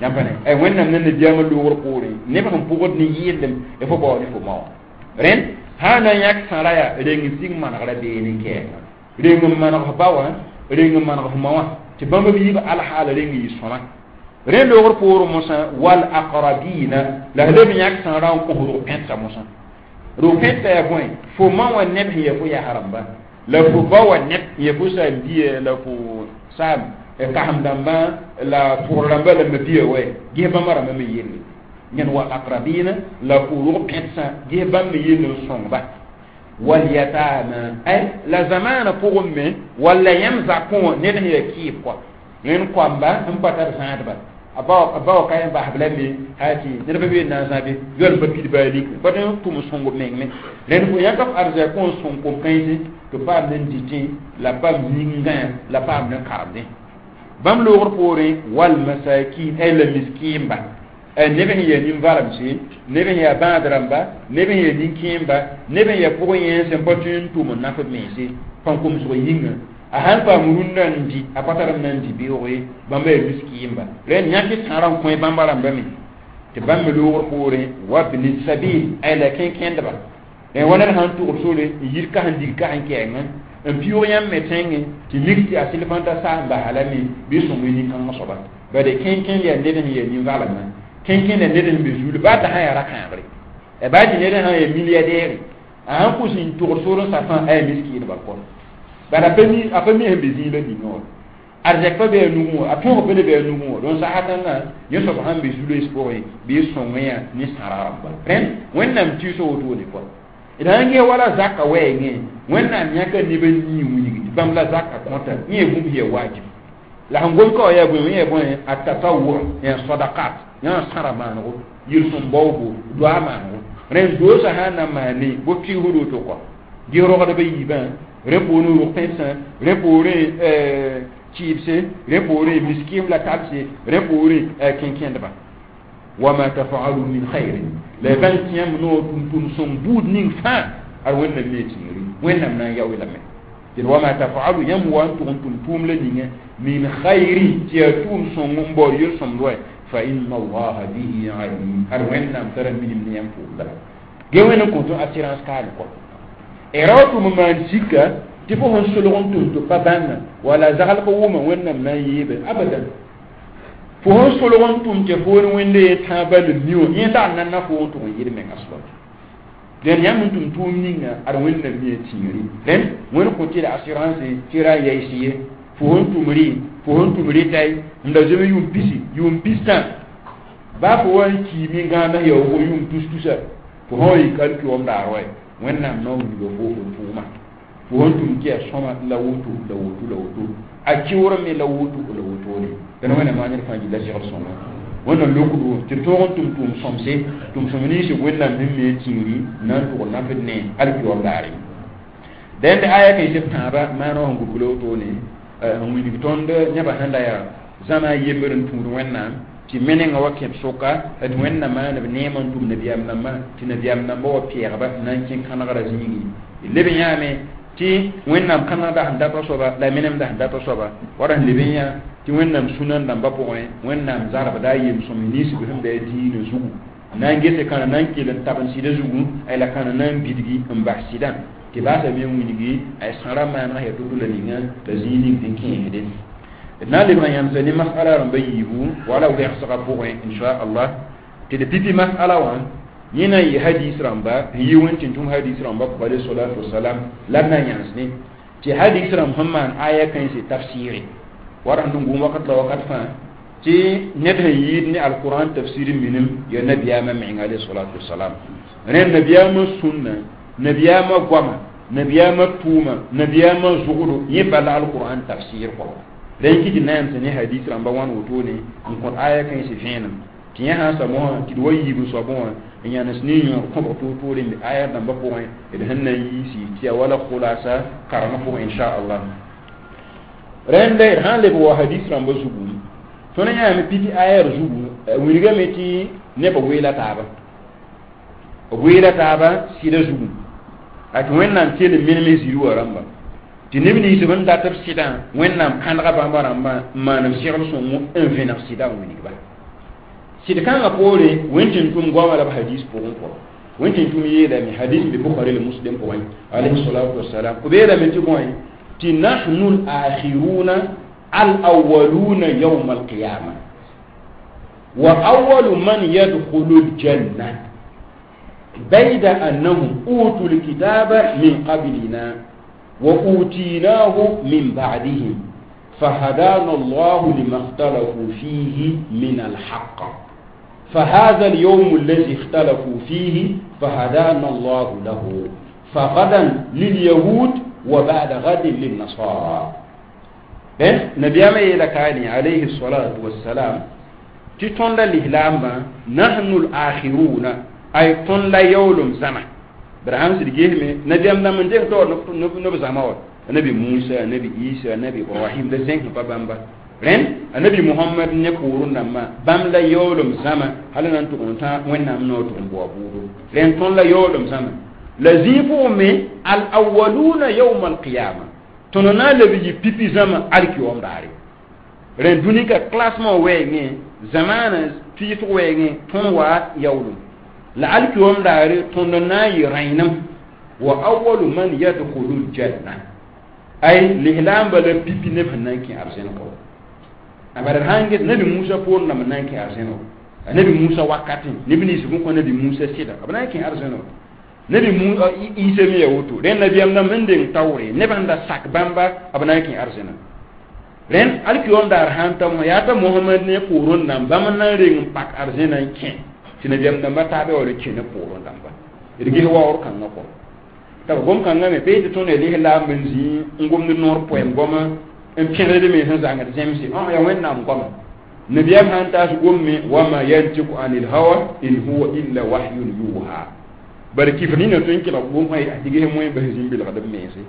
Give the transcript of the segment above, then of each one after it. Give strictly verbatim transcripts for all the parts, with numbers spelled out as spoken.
Yãmb pa ne Wẽnnaam ne nabiyaamã loogr poorẽ neb sẽn pʋgd ne yɩɩlem y fo bao ne fo ma wã. Rẽnd sã n na n yãk sãra yaa reng n sig manegrã beene n kɛɛngã, reng n maneg f ba wã, reng n maneg f ma wã, tɩ bãmb b yiib alhaal reng yɩ sõma. Rẽ loogr poorẽ mosã wal aqrabina la f leb n yãk sãrã n kõ rog pẽtsa mosã. Rog pẽtsa yaa bõe? Fo ma wã neb sẽn yaa fo yas rãmba la fo ba wã neb sẽn yaa fo saam-bia la fo saam kasem dãmbã la pʋgr rãmba la mabia wɛ, ges bãmba rãmbã me yelle yẽn wal aqrabina la fo rog pẽtsã, ges bãmb me yell n sõngba. Wal yatama ay la zamaana pʋgẽ me walla yãmb zakẽ wã ned sẽn yaa kɩɩb kɔa, rẽnd koamba sẽn pa tar zãadba, a ba wa ka yẽ basb la me haa tɩ ned pa be n na n zãbe yoal pa pid baa lik pa tõe n tʋm sõng b meng me. Rẽnd fo yãka f arzɛk n sõng kom-kãense tɩ paam ne dɩtẽ la paam yĩngã la paam ne karemdẽ. Bãmb loogr poorẽ wal masakin ay la miskiimba, neb sẽn yaa nin-valemse, neb sẽn yaa bãad rãmba, neb sẽn yaa nin-kẽemba, neb sẽn yaa pʋgẽ yẽnsẽ n pa tõe n tʋm n naf b mense pãn-komsg yĩnga, a sãn paam rũndã n dɩ, a pa tar n na n dɩ beooge, bãmba yaa miskiimba. Rẽnd yãk sãrã n kõ bãmba rãmba me tɩ bãmb me loogr poorẽ wabni sabil ay la kẽn-kẽndba. Rẽ wa ned sãn tʋgd sore n yir kas n dig kas n kɛɛngẽ n pɩʋʋg yãmb me tẽngẽ tɩ mik tɩ a sɩl fãn ta saam basa la me bɩ sõng nin-kãngã soaba bade kẽn-kẽnd yaa ned sẽn yaa nin-valemã, kẽn-kẽnd yaa ned sẽn be zuul baa t'a sã yaa ra-kãabre, baa tɩ ned sã yaa milliardaire, a sãn kʋs n tʋgd sor n safã a yaa miskiidba kɔ bala a pa mi sẽn be zĩig la ningã wã arzɛk pa be a nugẽ wã, a tõog pa le be a nugẽ wã. Donc sasatãngã yẽ soab sãn be zu-loees pʋgẽ bɩ sõng yã ne sãra rãmba. Rẽnd Wẽnnaam tɩɩsã wotone kɔa d sãn ges wala zaka wɛɛngẽ, Wẽnnaam yãka neb n yii wilg tɩ bãmb la zaka kõta yẽ yaa bũmb sẽn yaa wajib la sẽn gom ka wã yaa bõe? Yẽ yaa bõe? A tatawur yaa sadakat yã sãra maanego, yel-sõm baoobo, doa maanego. Rẽnd doosã sã n na maane bo kɩɩsd woto kɔ ges rogdbã yiibã, rẽ poorẽ rog pẽdsã, rẽ poorẽ kɩɩbse, rẽ poorẽ miskiim la tabse, rẽ poorẽ kẽn-kẽndba. Wama tafalu min khairin la y bãng tɩ yãmb noor tʋm-tʋm sõng buud ning fãa ad Wẽnnaam me tĩiri, Wẽnnaam na n yao lame tɩ wama tafalu yãmb wa n tʋg n tʋm tʋʋm la ninga min khairin tɩ yaa tʋʋm sõng n baood yel-sõmd wa fa inna allaha bihi alim ad Wẽnnaam tara minim ne yãmb tʋʋmda ge wẽnd n kõ tɩ assurance kaal kɔ ra wa tʋm n maan sika tɩ fo sẽn solg n tʋm tɩ pa bãnga wala zagl ka wʋma Wẽnnaam na n yeebe abadan. Fo sẽn solg n tʋm tɩ foor wẽnde ye tãa bal mi wã yẽ tag n na na fo n tʋg n yɩl menga soaba. Dẽn yãmb n tʋm tʋʋm ninga ad Wẽnnaam me tĩiri. Rẽnd Wẽnd kõ tɩ la assurance tɩ ra n yaɩs ye fo sẽn tʋm rɩ, fo sẽn tʋm rɩtay n da zoe yʋʋm pisi, yʋʋm pistã, baa fo wa n kiime gãamã yaoogo yʋʋm tus-tusa, fo sã wa yik alkiom daar wa Wẽnnaam na n wilga fo fo tʋʋma fo sẽn tʋm tɩ yaa sõma la woto la woto la woto, a kɩʋr me la woto la wotone. Dẽn Wẽnnaam maa ned fãa gilla segd sõma Wẽnnaam lokdo tɩ d tõog n tʋm tʋʋm sõmse tʋm sõm ninsẽ Wẽnnaam sẽn me tĩiri na n tʋg nafd ne alkiom daare. Dẽnd aya kãensb tãabã maana wã sẽn gʋbgla wotone n wilg tõnd nebã sẽn da yaa zãma a yembr n tũud Wẽnnaam tɩ menengã wa kẽb sʋka d Wẽnnaam maaneb neem n tʋm nabiyaam nambã tɩ nabiyaam nambã wa pɛɛgba n na n kẽ kãnegrã zĩigi leb n yãame tɩ Wẽnnaam kãnegda sẽn dat soaba la menemda sẽn dat soaba wala sẽn leb n yã tɩ Wẽnnaam sũna dãmbã pʋgẽ Wẽnnaam zarbda a yem-sõm ninsb sẽn be a diinã zugu na n gese kãna na n kell n tab n sɩda zugu ay la kãna na n bidgi n bas sɩdã tɩ baasame n wilgi ay sãra maaneg yaa to-to la ninga la zĩig ning sẽn kẽesde. D na n lebg n yãmsa ne masala rãmba yiibu wala wɛgsgã pʋgẽ inchallah tɩ d pipi masala wã yẽ na n yɩ hadis rãmba n yi wẽn tɩ n tũm hadis rãmba pʋg alayhi salatu wasalam la d na n yãns ne tɩ hadis rãmb sẽn maan aya kãense tafsɩɩre wara sẽn gũum wakat la wakat fãa tɩ ned sẽn yɩɩd ne alquran tafsir minim yaa nabiyaamã meng alayhi salatu wasalam. Rẽnd nabiyaamã sũnna, nabiyaamã goama, nabiyaamã tʋʋma, nabiyaamã zʋgdo yẽ bala alquran tafsir kɔ. Rẽn kɩ tɩ na yãmsa ne hadis rãmba wãn wotone n kõt aya kãense vẽenem tɩ yẽ sã n sa mosã tɩ d wa yiib n soabẽ wã n yãnes ne yõor kõbg toor-toore n be aya dãmbã pʋgẽ d sẽn na n yiisi tɩ yaa wala khulasa karengã pʋgẽ inchallah. Rẽnd d sã n leb wa hadis rãmbã zugu, tõnd yãame piti ayar zugu wilgame tɩ nebã weela taaba, b weela taaba sɩda zugu a tɩ Wẽnnaam kell n menem zĩri wã rãmba tɩ neb nins b n dat b sɩdã Wẽnnaam kãnega bãmba rãmbã n maan b segl sõngo n vẽneg sɩdã n wilgba. Sɩd kãngã poore wẽn tɩ n tʋm goamã la b hadis pʋgẽ pʋgẽ wẽn tɩ n tʋm yeelame hadis be Bukhari la Muslim pʋgẽ alayhi salatu wasalam b yeelame tɩ bõe tɩ nahnu al-akhiruna al-awwaluna yawm al-qiyama wa awwalu man yadkhulu al-janna bayda annahum utu al-kitaba min qablina wa utinahu min ba'dihim فهدانا الله لما اختلفوا فيه من الحق فهذا اليوم الذي اختلفوا فيه فهدانا الله له فغدا لليهود وبعد غد للنصارى نبي ما كاني عليه الصلاة والسلام تتون الإسلام نحن الآخرون أي تون لا يولم زمان برهان سيدي نبي أمنا من جهة نب زمان النبي موسى النبي عيسى النبي إبراهيم ده زين بابا rẽn anabi Muhammad ne poorẽ dãmbã bãmb la yaoolem zãma hal na n tʋg n tã wẽnnaam noor tʋg n bao buudu rẽn tõnd la yaoolem zãma la zĩig pʋgẽ me al awaluna yawma alqiyama tõnd na n leb yɩ pipi zãma alkiyoom daare rẽn dũni ka classement wɛɛngẽ zamaana tɩɩsg wɛɛngẽ tõnd wa yaoolem la alkiyoom daare tõnd na n yɩ rãenem wa awalu man yadkhulu aljanna ay lislaamba la pipi neb sẽn na n kẽ arzẽn kɔ bara sãn get nabi Musa poor dãmb na n kẽ arzẽno nabi Musa wakatẽ neb nins bõn kõ nabi Musa sɩda b na n kẽ arzẽno nabi Isa me ya woto rẽnd nabiyaam dãmb sẽn deng taoore neb sẽn da sak bãmba b na n kẽ arzẽna rẽnd alkiyoom daar sãn ta yaa t'a Mohamad ne poorẽ dãmb bãmb n na n reng n pak arzẽna n kẽ tɩ nabiyaam dãmba taabã wa kẽ ne poorẽ dãmba d ges waoor kãngã kɔ t'a gom kãngã me pee tɩ tõnd ya lislaam n zĩ n gomd noor poɛm goama n pẽgd me sẽn zãngd zẽmse yaa wẽnnaam goama nabiyaam sãn taas gomme wama yantiku anil hawa in huwa illa wahyun yuha bara kifr nina tõe n kelg gom tɩ ges moẽ bas zĩm belgd b mense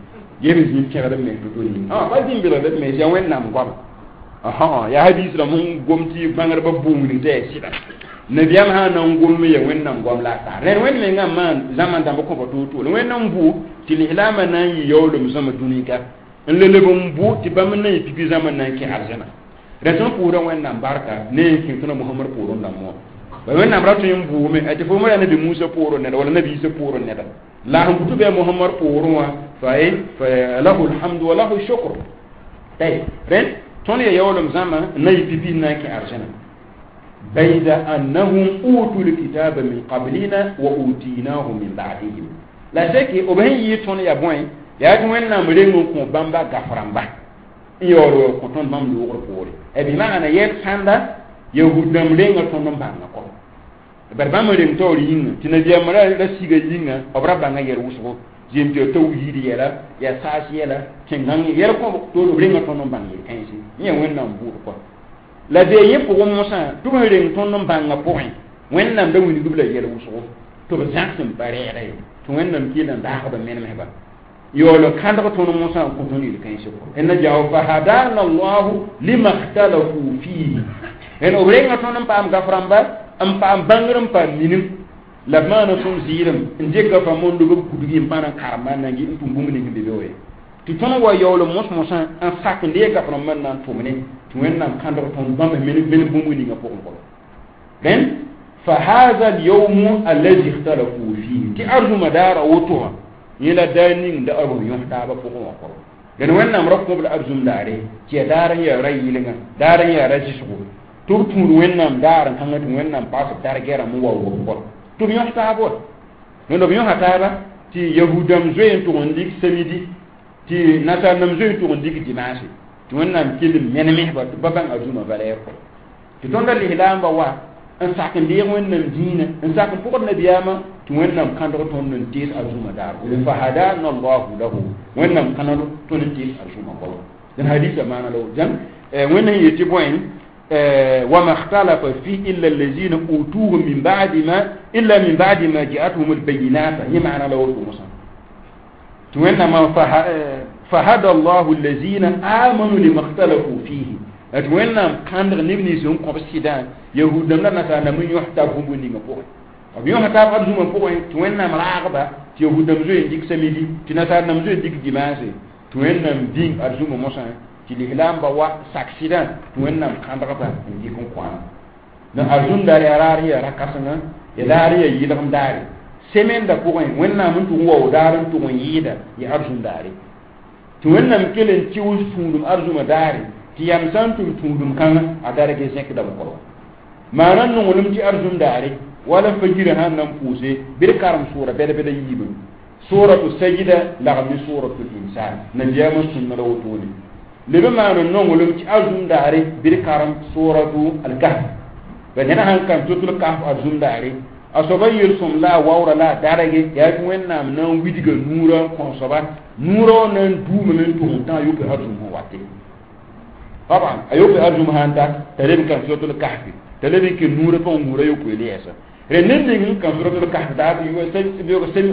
ges zĩm pẽgd b mens to-to ning pa zĩm belgd b mens yaa wẽnnaam goama yaa hadis rãmb sẽn gom tɩ bãngdbã bʋʋng tɩ yaa sɩda nabiyaam sã na n gom ya wẽnnaam goam la a tar rẽnd wẽnd mengã maan zãma dãmb kõba to-to la wẽnd n bʋ tɩ lislaamã na n yɩ yaoolem zãma dũni-ka n le leb n bʋ tɩ bãmb na n yɩ pipi zãma na n kẽ arzẽna rẽ tõnd pʋʋsda wẽnnaam barka ne n kẽ tõnd Mohamad poorẽ dãmb wã ba wẽnnaam ra tõe n bʋʋme tɩ fo yaa nabi Musa poorẽ neda wala nabi Isa poorẽ neda la sẽn bʋ tɩ bɩ Mohamad poorẽ wã fa fa lahu alhamdu wa lahu shukr tayb rẽnd tõnd ya yaoolem zãma n na yɩ pipi n na n kẽ arzẽna بيد أنهم أوتوا الكتاب من قبلنا وأوتيناه من بعدهم لا شك وبهن يتون يا بوين يا توين نام رينو كو بامبا غفرامبا يورو كو تون بام لوغر بوري e bi maana yet sanda yahud nam renga ton non banga ko bar bãmb reng taoor yĩnga tɩ nabiyaamã ra siga yĩnga b ra bãnga yɛl wʋsgo zem tɩ tawhiid yɛla yaa saas yɛla tẽn-gãng yɛl kõ to b renga tõnd n bãng yel-kãense yẽ wẽnnaam bʋʋd kɔ la bee yẽ pʋgẽ mosã tɩ b sẽn reng tõnd n bãngã pʋgẽ wẽnnaam da wilgb la yɛl wʋsgo tɩ b zãgs n pa rɛɛda ye tɩ wẽnnaam kell n daagb menemsba yaool n kãndg tõnd mosã n kõ tõnd yel-kãensgo n na jao fa hadana allahu lima ikhtalafu fihi n b renga tõnd n paam gaf-rãmba n paam bãngr n paam minim la b maana tõnd zɩɩdem n dɩka fa mondo b kudgi n pa na n karemba n na n tʋm bũmb ning be be wa ye tɩ tõnd wa yaool mos-mosã n sak n deeg gaf-rãmbã n na n tʋmne tɩ wẽnnaam kãndg tõnd bãmb men bũmb ninga pʋgẽ pʋgẽ rẽnd fa hadha alyawm alladhi ikhtalafu fihi tɩ arzũma daara woto wã yẽ la daar ning da b yõs taabã pʋgẽ wã kɔrɔ dẽn wẽnnaam ra kõb la arzũm daare tɩ yaa daar n yaa ra yɩlenga daar n yaa ra zɩsgo tɩ b tũud wẽnnaam daar n kãngã tɩ wẽnnaam paas b dargɛrãmb n wa wʋb kɔ tɩ b yõs taab wa dẽnd b yõsa taaba tɩ yahudãmb zoe n tʋg n lik samidi tɩ nasaar-nãmb zoe n tʋg n lik dimanche tɩ wẽnnaam kell n menemsba tɩ ba bãng arzũmã valɛɛr kɔ tɩ tõnda lislaambã wa n sak n deeg wẽnnaam dĩinã n sak n pʋgd nabiyaamã tɩ wẽnnaam kãndg tõnd n tees arzũmã daar fa hadana allahu lahu wẽnnaam kãnd tõnd n tees arzũmã goama dẽn hadisa maana la woto wẽnd sẽn yetɩ bõe وما اختلف فيه إلا الذين أوتوه من بعد ما إلا من بعد ما جاءتهم البينات هي معنى لو موسى وإنما فهدى الله الذين آمنوا لما اختلفوا فيه وإنما كان نبني زون قبسيدا يهود لم نسا نمن يحتاب هم نيغا بوغ b yõsa taab arzũmã pʋgẽ tɩ wẽnnaam raagba tɩ yahudãmb zoe n dɩk samidi tɩ nasaar-nãmb zoe n dɩk dimanche tɩ wẽnnaam bĩng arzũmã mosã tɩ lislaambã wa sak sɩdã tɩ wẽnnaam kãndgba n dɩk n kõana Na arzum daar yaa raar n yaa ra-kãsenga, ya daar n yaa yɩlgem daare. Semaine da pʋgẽ Wẽnnaam n tʋg n wao daar n tʋg n yɩɩda ya arzum daare. Tɩ Wẽnnaam kell n tɩʋs tũudum arzumã daare tɩ yam sã n tʋm tũudum kãngã a darg zẽkdame kɔrɔ. Maana nonglem tɩ arzum daare wala fajirã sãn na n pʋʋse bɩ d karem sʋʋra bɛd-bɛd a yiibẽ. Suratu sajida lagm ne suratul insan nabiyaamã sũnna la wotone. Leb n maan n nonglem tɩ arzum daare bɩ d karem suratu alkahf. Ba ned sãn karem suratul kahf arzum daare a soaba yel-sõm la a waoora la a darge yaa tɩ Wẽnnaam na n widga nuurã n kõ soaba nuurã wã na n duumame n tʋg n tã a yope arzum sẽn wate. Taban a yope arzum sãn ta t'a leb n kãn suratul kahfi t'a leb n kẽ nuurã pʋgẽ nuurã yopoe le yɛɛsa. Rẽ ned ning n kãn suratul kahf daar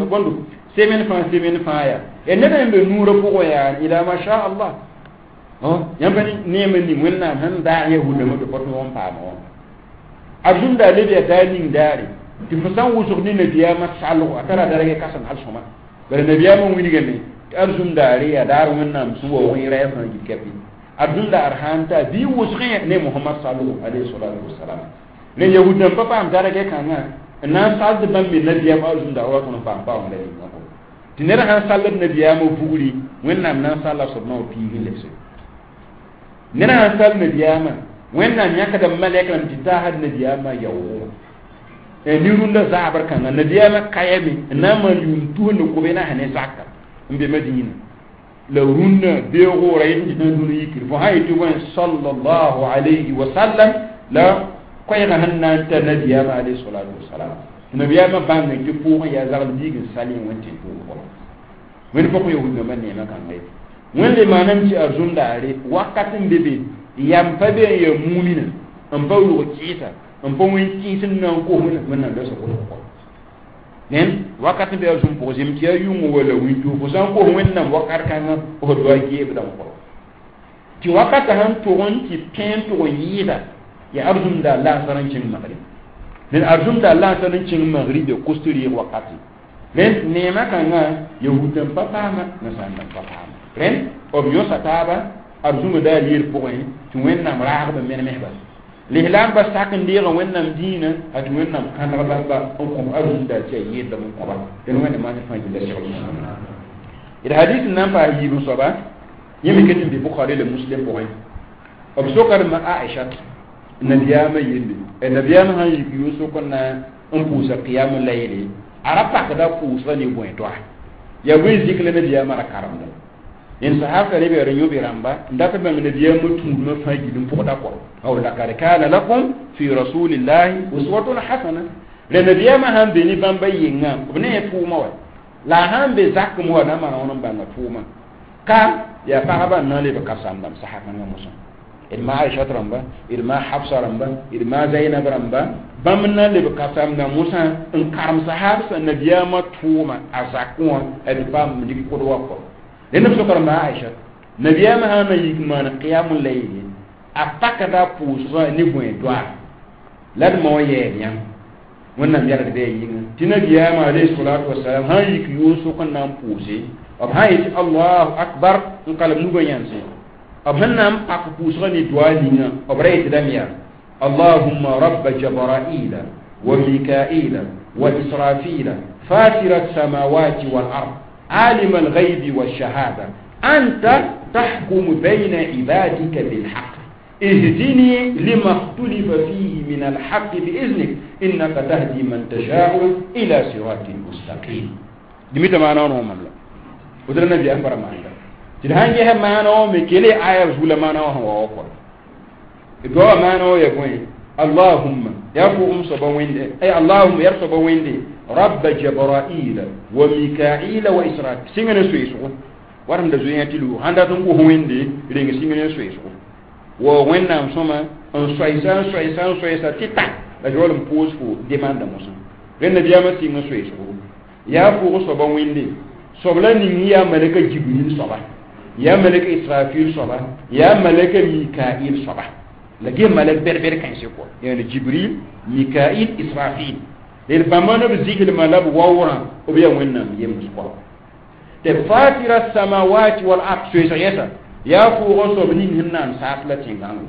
bõndo semaine fãa semaine fãa yaa ya ned n be nuurã pʋgẽ yaa ila ma sha Allah. Yãmb pa neem n ning Wẽnnaam sẽn daag yahudãmbã tɩ pa tõog n paama wã. Arzum daa leb yaa daar ning daare tɩ fo sã n wʋsg ne nabiyaamã salgo a tara darg kãseng hal sõma. Bara nabiyaamã wilgame tɩ arzum daare yaa daar Wẽnnaam sẽn waoog yẽra fãa gil kapi. Arzum daar sãn ta bɩ wʋsgẽ ne Mohamad salgo alayhi salatu wasalam. Ne yahud dãmb pa paam darg kãngã n na n sald bãmb me nabiyaam arzum daar wa tõnd n paam paoong la ninga kɔ. Tɩ ned sãn sald nabiyaamã vugri Wẽnnaam na n salla soab naoor piig n lebse. Ned sãn sall nabiyaamã Wẽnnaam yãkda malɛk rãmb tɩ taasd nabiyaamã yaoogo. Ne rũndã zaabr kãngã nabiyaamã kayame n na n maan yʋʋm tus ne kobe na ne zaka n be Madina. La rũndã beoog ra yet n tɩ tã dũni yikr fo sã yetɩ wẽn sallallahu alayhi wa sallam la koɛɛgã sẽn na n ta nabiyaamã alayhi salatu wasalam. Nabiyaamã bãngẽ tɩ pʋʋgẽ yaa zagl biig n salẽ wẽn tẽn-tʋʋg pʋgẽ. Wẽnd pʋgẽ yahud-rãmbã neemã kãnga ye. Wẽnd le maaname tɩ arzũm daare wakat n be be yam pa be n yaa mumina n pa rug kɩɩsa n pa wẽn kɩɩs n na n kos Wẽnnaam la sẽn kos nen wakat n be arzũm pʋgẽ zem tɩ yaa yʋngã wala wĩnto fo sã n kos Wẽnnaam wakat kãngã f doa geebdame kɔ. Tɩ wakatã sẽn tʋg n tɩ pẽen tʋg n yɩɩda ya arzũm daar la n kẽng magrib. Ned arzũm daar la n kẽng magrib ya kos tɩ reeg wakati. Rẽnd neemã kãngã yahud n pa paama nasaar pa paama. Rẽnd b yõsa taaba arzũmã daar yeel pʋgẽ tɩ Wẽnnaam raagb n menemsba. Lislaambã sak n deega Wẽnnaam dĩinã a tɩ Wẽnnaam kãneg bãmba n kõb arzũm daar tɩ a yeedlame n kõba. Dẽn Wẽnnaam maan fãa gilla segl. D hadis n na n paas yiib n soaba yẽ me ket n be Bukhari la Muslim pʋgẽ. B sokdme Aisha nabiyaamã yelle. Nabiyaamã sãn yik yʋʋsʋk n na n pʋʋsa qiyam layli a ra pakda pʋʋsga ne bõe toa yaa bõe zik la nabiyaamã ra karemda. Yẽn sahab ka leb yaa yõbe rãmba n dat n bãng nabiyaamã tũudmã fãa gil n pʋgda kɔ. Aw lakad kana lakum fi rasulillahi uswatun hasana. La nabiyaamã sãn be ne bãmba yengã b ne tʋʋmã wa la a sãn be zakem wa na n maan wãn n bãnga tʋʋmã ka yaa pagba n na n leb ka-sãmbdãmb sasa kãngã mosã. D ma Aishat rãmba, d ma Hafsa rãmba, d ma Zainab rãmba bãmb n na n leb ka-sãmbdã mosã n karem sahab sã nabiyaamã tʋʋma a zakẽ wã d paam lik kod wa kɔ. Rẽnd b sokd ma Aisha nabiyaamã sãn na yik maan qiyam layli a pakda pʋʋsgã ne bõe doa la d mao yɛɛd yãmb Wẽnnaam yɛlgd bɩ a yĩngã tɩ nabiyaamã alayhi salatu wasalam sãn yik yʋʋsʋk n na n pʋʋse b sãn yetɩ allahu akbar n kalem nugã yãnse b sẽn na n pak pʋʋsgã ne doa ninga b ra yetɩlame yaa allahumma rabba jabraila wa mikaila wa israfila fatira الsamawati wal ard عالم الغيب والشهادة أنت تحكم بين عبادك بالحق اهدني لما اختلف فيه من الحق بإذنك إنك تهدي من تشاء إلى صراط مستقيم. دميت معنا ونهم لا ودر النبي أكبر معنا تلهان جه معنا مكلي آية رسول معنا وهو أكبر الدعاء معنا يقول اللهم يا فوم صبا ويندي أي اللهم يا صبا ويندي رب جبرائيل وميكائيل وإسرائيل سينغن سويسو ورم دزوين تلو هاندا تنكو ويندي رينغ سينغن سويسو wa wẽnnaam sõma n soɛɛsa n soɛɛsa n soɛɛsa tɩ ta la yaool n pʋʋs fo demanda mosã rẽnd nabiyaamã sɩng n soeesgo yaa pʋʋg soaba wẽnde soab la ning yaa malɛka Jibril soaba yaa malɛka Israfil soaba yaa malɛka Mikail soaba la ge malɛk bɛd-bɛd kãense kɔ yaani Jibril Mikail Israfil d bãmba ne b ziglmã la b waoorã b yaa Wẽnnaam yems kɔ tɩ fatira samawati wal ard soeesg yɛsa yaa pʋʋgã soab ning sẽn naan saas la tẽngãngo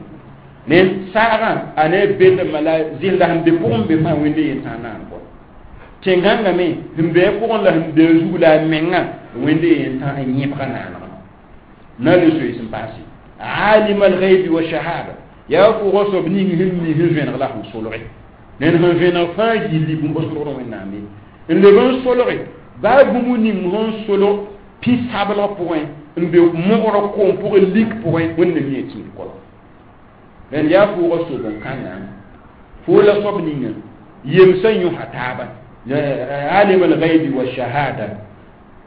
Ne saagã a ne bendmã la zɩlda sẽn be pʋgẽ be fãa wẽnde yentãag naan kɔ tẽn-gãngame sẽn be a pʋgẽ la sẽn be a zug la a mengã wẽnde yentãag n yẽbga naanegã na le soees n paase alim alghaibi wa shahada yaa pʋgã soab ning sẽn mi sẽn vẽneg la sẽn solge ned sẽn vẽneg fãa gilli bũmb solgd wẽnnaam ye n leb n solge baa bũmb ning sẽn solg pĩ-sablg pʋgẽ n be mogrã koom pʋgẽ lik pʋgẽ wẽnnaam mi a tĩir kɔl rẽnd yaa pʋʋgã soab n kãnga fo la soab ninga yemsã yõsa taaba alim alghaibi wa shahada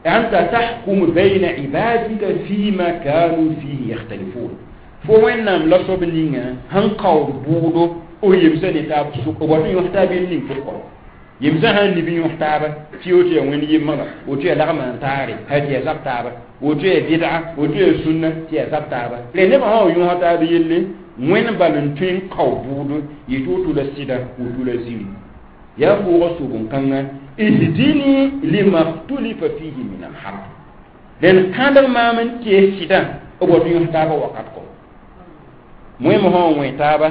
anta tahkumu bayna ibadika fima kanu fihi yakhtalifun fo wẽnnaam la soab ninga sẽn kaood bʋʋdo o yemsã ne taab sʋk b wat n yõs taab yel ning pʋgẽ yemsã sãn nib n yõs taaba tɩ woto yaa wẽnd yembga woto yaa lagma n taare ha tɩ yaa zab taaba woto yaa bɩdga woto yaa sũnna tɩ yaa zab taaba rẽ nebã sã wa yõsa taab yelle wẽnd bal n tõe n kao bʋʋdo yetɩ woto la sɩda woto la ziri yaa pʋʋgã soab n kãnga ihdini lima khtulifa fihi min alhaq rẽnd kãndg maam n tees sɩdã b wat n yõs taabã wakat kɔ moẽmã sã n wẽ taaba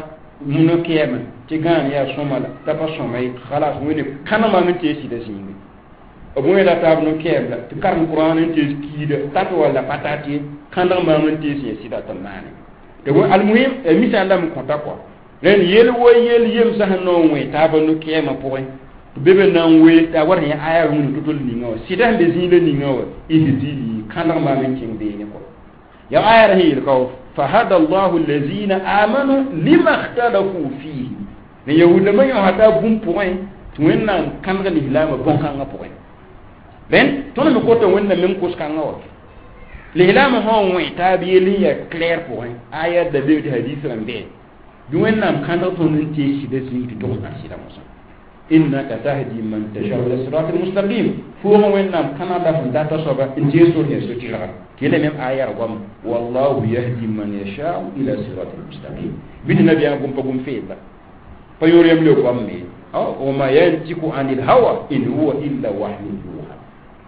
no-kɛɛmã tɩ gãan yaa sõma la t'a pa sõma ye khalas wẽne kãndg maam n tees sɩda zĩige b wẽeda taab no-kɛɛm la tɩ karem kurãan n tees kiida tat walla pa tat ye kãndg maam n tees yẽ sɩda tɩ maane tɩ almuhim misal lame kõta kɔa rẽnd yel wa yel yemsã sẽn na n wẽ taabã no-kɛɛmã pʋgẽ tɩ be be na n wee t'a wat sẽn yã aya rũni to-tol ninga wã sɩda sẽn be zĩig la ninga wã ihdini kãndg maam n kẽng beene kɔ ya aya sẽn yel ka fahada allahu allazina amanu lima ikhtalafu fihi ne yahudlãmbã yõsa taa bũmb pʋgẽ tɩ wẽnnaam kãndg lislaamã bõn-kãngã pʋgẽ rẽnd tõnd me kota wẽnnaam meng kos-kãngã wa lislaamã sã n wẽ taab yell n yaa clair pʋgẽ aya da be tɩ hadis rãmb bee bɩ wẽnnaam kãndg tõnd n tees sɩda zĩig tɩ tog n sɩda mosã innaka tahdi man tashau ila sirat almustaqim fʋʋg wẽnnaam kãna la sẽn data soaba n tees sor sẽn so-tɩrga tɩ yela mem aya r goama wallahu yahdi man yashau ila sirat almustaqim bɩ tɩ nabiyaam gom pa gom feedla pa yõor yam le goam me wama yantiku anil hawa in huwa illa wahyun yuha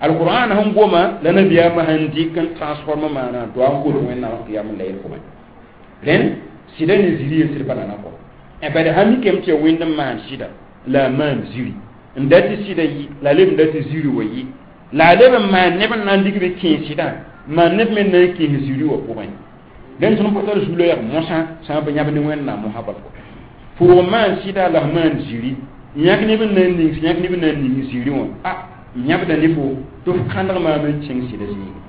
alquran sẽn goma la nabiyaamã sẽn dɩk n transforme maana to a n gol wẽnnaam qiyam layl pʋgẽ rẽnd sɩda ne ziri yel sɩd pa nana kɔ bad sã mikame tɩ ya wẽnd n maan sɩda la maan ziri n dat tɩ sɩda yɩ la leb n dat tɩ ziri wa yɩ la a leb n maan neb n na n dɩk be kẽes sɩdã maan neb me na n kẽes ziri wã pʋgẽ rẽnd tõnd pa tar zu-loɛɛg mosã sã n pa yãb ne wẽnnaam mosã bal kɔ pʋʋg maan sɩda la f maan ziri yãk neb n na n ning yãk neb n na n ning ziri wã a yãbda ne fo tɩ f kãndg maam n kẽng sɩda zĩigi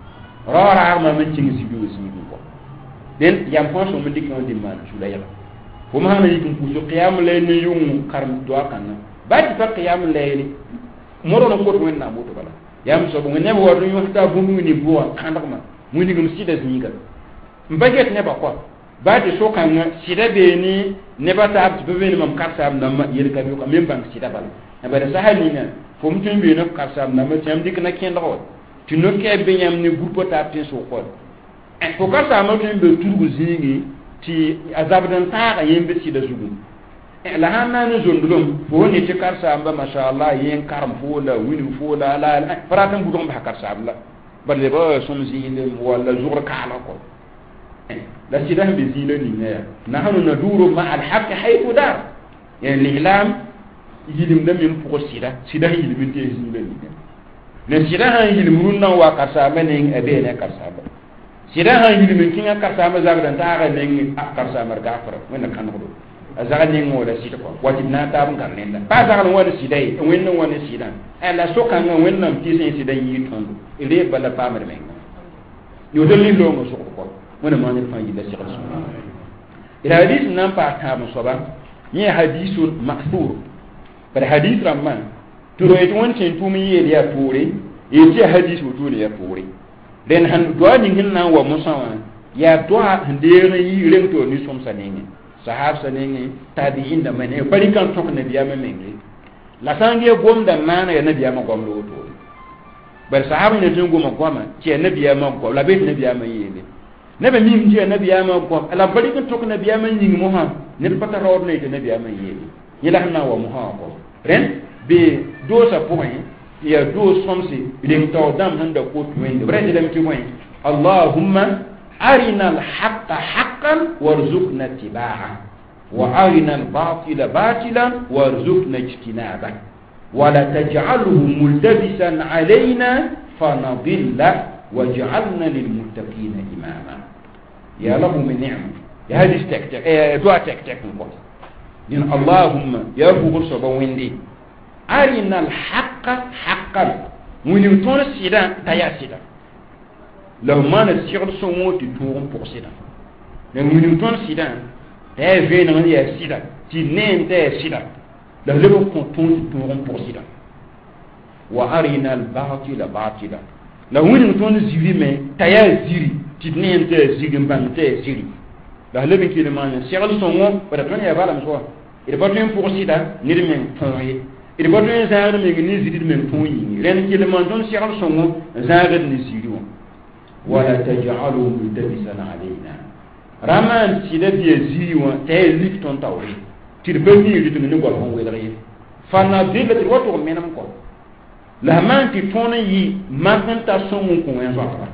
raoog raag maam n kẽng ziri wã zĩigẽ kɔ dẽn yam fãa sõm n dɩk wã dɩ maan zu-loɛɛga fo sã na yik n pʋʋs qiyam layl ne yʋng karem doa kãngã baa tɩ pa qiyam layli modg n kot wẽnnaam woto bala yaa soab neb wa n yõs taa bũmb ning bʋgã kãndgmã wĩnigem sɩda zĩiga n pa get nebã kɔa baa tɩ so-kãngã sɩda beene nebã taab tɩ pa beene mam karsaam dãmbã yel ka be me n bãng sɩda bala bala sasa ninga fo m tõe n beene f karsaam dãmbã tɩ yãmb dɩk na kẽndg wa tɩ no-kɛɛb be yãmb ne groupe taab tẽn-sʋg kɔa fo karsaamã tõe n be tudg zĩigẽ tɩ a zabd n taaga yẽ be sɩda zugu la sãn na n zondlem fo ne tɩ karsaamba mashallah yẽ n karem fo la wilg fo la la pa rat n budg n basa karsaam la bad leba sõm zĩilem walla zʋgr kaalg kɔ la sɩda sẽn be zĩig la ninga yaa nahnu naduru ma alhaqi haythu dar yani l'islam yilimda me n pʋg sɩda sɩda sẽn yilm n tees zĩig la ninga ne sɩda sãn yilm rũnnã n wa karsaambã neng a bee ne a karsaamba sɩda sãn yilm n kẽngã karsaambã zabd n taaga neng a karsaambã d gafra wẽnna kãnegdo a zag neng wala sɩd kɔ wa tɩ d na n taab n gãr rẽnda pa zagl n wa ne sɩda ye wẽnd n wa ne sɩdã la so-kãngã wẽnnaam tɩ sẽn sɩda yɩɩ tõndo reeb bala paamd menga yoto lislaoongã sogd kɔ wẽnna maan ned fãa yilla segl sõma d hadis n na n paas tãab n soaba yẽ hadisun ma'thur bad hadis rãmbã tɩ ro yetɩ wẽnd tẽn tʋʋm n yeel yaa poore yetɩ yaa hadis wotone yaa poore rẽnd sẽn doa ning sẽn na n wa mosã wã yaa doa sẽn deeg n yi reng tɩ nin-sõmsã nengẽ sahabsã nengẽ tabiin dãmbã nengẽ pa rɩka n tõk nabiyaamã menge la sã n gee gomda maana yaa nabiyaamã goam la wotone bari sahab ne tɩ n goma goama tɩ yaa nabiyaamã goam la be tɩ nabiyaamã yeele nebã mim tɩ yaa nabiyaamã goam la b pa rɩk n tõk nabiyaamã yĩng mosã ned pa tar raood na yetɩ nabiyaamã yeele yẽ la sẽn na n wa mosã wã kɔ rẽnd be doosã pʋgẽ yaa doos sõmse reng taoor dãmb sẽn da kot wẽnde b ra tɩ tɩ bõe allahumma arina alhaqa haqqan warzuqna tibaa وارنا الباطل باطلا وارزقنا اجتنابه ولا تجعله ملتبسا علينا فنضل واجعلنا للمتقين اماما. يا له من نعمه يا هذه تك دعاء تك تك دين اللهم يا فوق صبا ويندي أرنا الحق حقا وين سيدا تيا سيدا لو ما نسيغ سمو تتوغم بوغ سيدا وين تون سيدا تيا فين يا سيدا تي نين تيا سيدا لو لو كون تتوغم بوغ سيدا وأرنا الباطل باطلا لو وين تون زيري مي تيا زيري تي نين تيا زيري بان تيا زيري la lebe ki le man segl sõngo bara tõnd yaa bala soa d pa tõe n pʋg sɩda ned meng tõog ye d pa tõe n zãagd meng ne zĩrid meng tõog yĩngi rẽnd kell maan tõnd segl sõngo n zãagd ne zĩri wã wala tajalu multabisan alayna ra maan sɩda tɩ yaa zĩri wã t'a yaa lik tõnd taoore tɩ d pa mi rɩteng ne goal sẽn welg ye fanadilla tɩ d wa tʋg menem kɔ la sã maan tɩ tõnd n yɩ mak n ta sõng n kõ wẽn-zoatba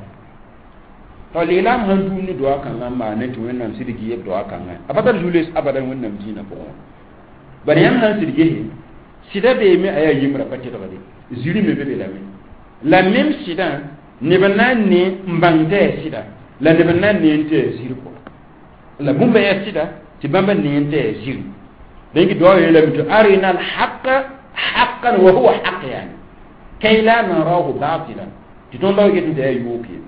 to lislaam sẽn tũum ne doa kãngã n maane tɩ wẽnnaam sɩd gɩ doa kãngã a pa tar zu-les abadan wẽnnaam dĩinã pʋgẽ bala yãmb sãn sɩd gese sɩda beeme a yaa yembrã pa tɩlgde ziri me be be lame la mem sɩdã neb n na n ne n bãng tɩ yaa sɩda la neb n na n ne n tɩ yaa ziri kɔ la bũmba yaa sɩda tɩ bãmba ne n tɩ yaa ziri donc doa yeelame tɩ arina alhaqa haqan wa huwa haq yani kay la narahu batilan tɩ tõnd la get tɩ yaa yook ye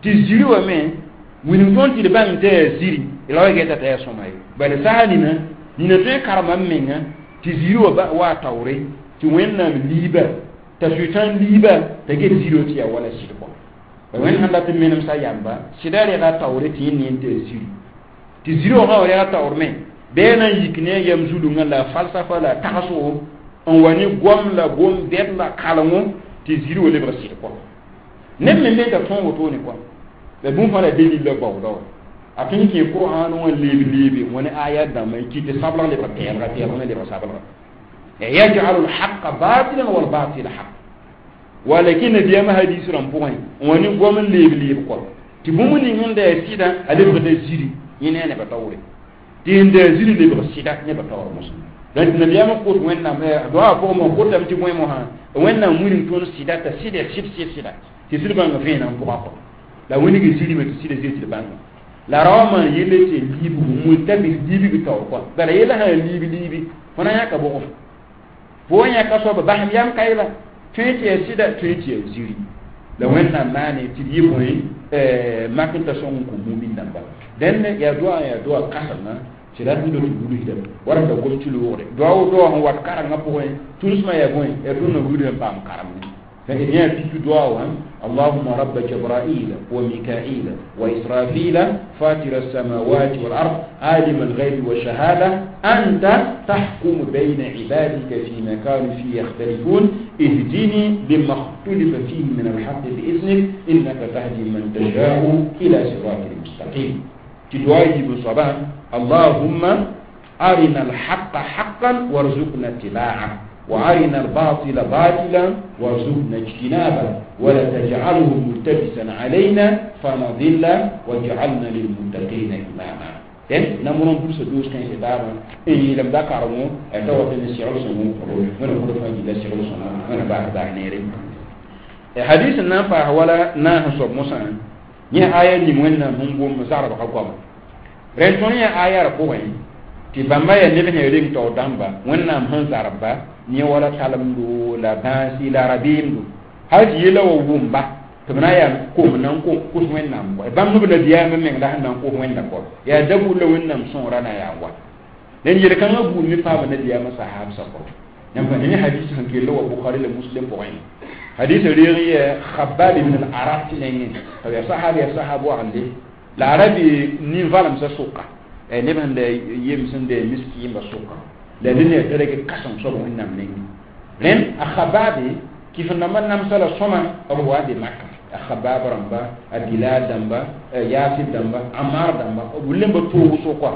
tɩ ziri wã me wilg tõnd tɩ d bãng tɩ yaa ziri la wa geta tɩ yaa sõma ye bala sã nina nina tõe n karema n menga tɩ ziri wã wa taoore tɩ wẽnnaam liiba t'a sʋɩtãn liiba t'a get ziri wã tɩ yaa wala sɩd kɔ wẽnd sẽn dat n menemsa yamba sɩda rega taoore tɩ yẽ ne n tɩ yaa ziri tɩ ziri wã sã wa rega taoor me bɩ na n yik ne a yam zulungã la falsafa la tagsgo n wa ne goam la gom-bɛd la kalengo tɩ ziri wã lebg sɩd kɔ neb me me t'a tõog wotone kɔ la bũmb fãa la dalil la baooda wã a tõe n kẽ qur'an wã leeb leebe wã ne aya dãmbã n kɩt tɩ sablg lebg pɛɛlga pɛɛlg me lebg sablga yaj'alu lhaqa batilan walbatila haq walakin nabiyaamã hadis rãmb pʋgẽ n wa ne goam n leeb leeb kɔ tɩ bũmb ning sẽn da yaa sɩdã a lebgda ziri yẽ ne a nebã taoore tɩ sẽn da yaa ziri lebg sɩda nebã taoor mosã donc nabiyaamã kos wẽnnaam doa pʋgẽ mo kotame tɩ bõe mosã wẽnnaam wilg tõnd sɩda t'a sɩd yaa sɩd sɩd sɩda tɩ sɩd bãnga vẽenam pʋga kɔ la wĩnigi zirime tɩ sɩda zir tɩ d bãnga la ra wã maan yelle tɩ liibg multabis liibg taoor kɔ bala yella sã liib liibi fõ na yãka bʋgo fo wa yãka soaba basem yam kaɩla tõe tɩ yaa sɩda tõe tɩ yaa ziri la wẽnnaam maane tɩ d yɩ bõe mak n ta sõng n kõ mumin dãmba dẽnd yaa doa yaa doa kãsengã tɩ rat n tɩ wilsdame wara da gom tɩ loogre doa wo doa sẽn wat karengã pʋgẽ tũnsmã yaa bõe yaa tõnd na wilsd n paam karem فإن في دعاء اللهم رب جبرائيل وميكائيل وإسرافيل فاطر السماوات والأرض عالم الغيب والشهادة أنت تحكم بين عبادك فيما كانوا فيه يختلفون اهدني لما اختلف فيه من الحق بإذنك إنك تهدي من تشاء إلى صراط المستقيم تدعي بصباح اللهم أرنا الحق حقا وارزقنا اتباعه وأرنا الباطل باطلا وارزقنا اجتنابه ولا تجعله ملتبسا علينا فنضل واجعلنا للمتقين إماما den namʋr n dulsa doos kãense taabã n yeelame da karemo a ta wat ne segl sõngo wẽna kʋd fãa gilla segl sõngo wẽna baas baas neere hadis n na n paas wala naas n soab mosã yẽ aya ning wẽnnaam sẽn gom zagbga goama rẽnd tõnd yã aya ra pʋgẽ tɩ bãmba yaa neb sẽn reng taoor dãmba wẽnnaam sẽn zarbba yẽ wala talemdo la bãasi la rabeemdo hal tɩ yella wa wʋmba tɩ b na yaa kom na n kos wẽnnaam kɔ bãmb b nabiyaamã meng la sẽn na n kos wẽnna kɔ yaa da buud la wẽnnaam sõora na yaa wa dẽnd yel-kãngã buud me paama nabiyaamã sahaabsã kɔ yãmb pa ne hadis sẽn kell wa bukhari la muslim pʋgẽ hadis reeg yɛ khabab ibn al-arat nengẽ t'a yaa sahab yaa sahab wagende la a ra be nin-valemsã sʋka neb sẽn da yem sẽn da miskiimba sʋka la dẽn yaa darag kãsem soab wẽnnaam nengẽ rẽnd a khababe kɩf rãmbã namsa la sõma b wa be maka a khabab rãmba a bilal dãmba yasir dãmba amar dãmba b lemba toog sʋka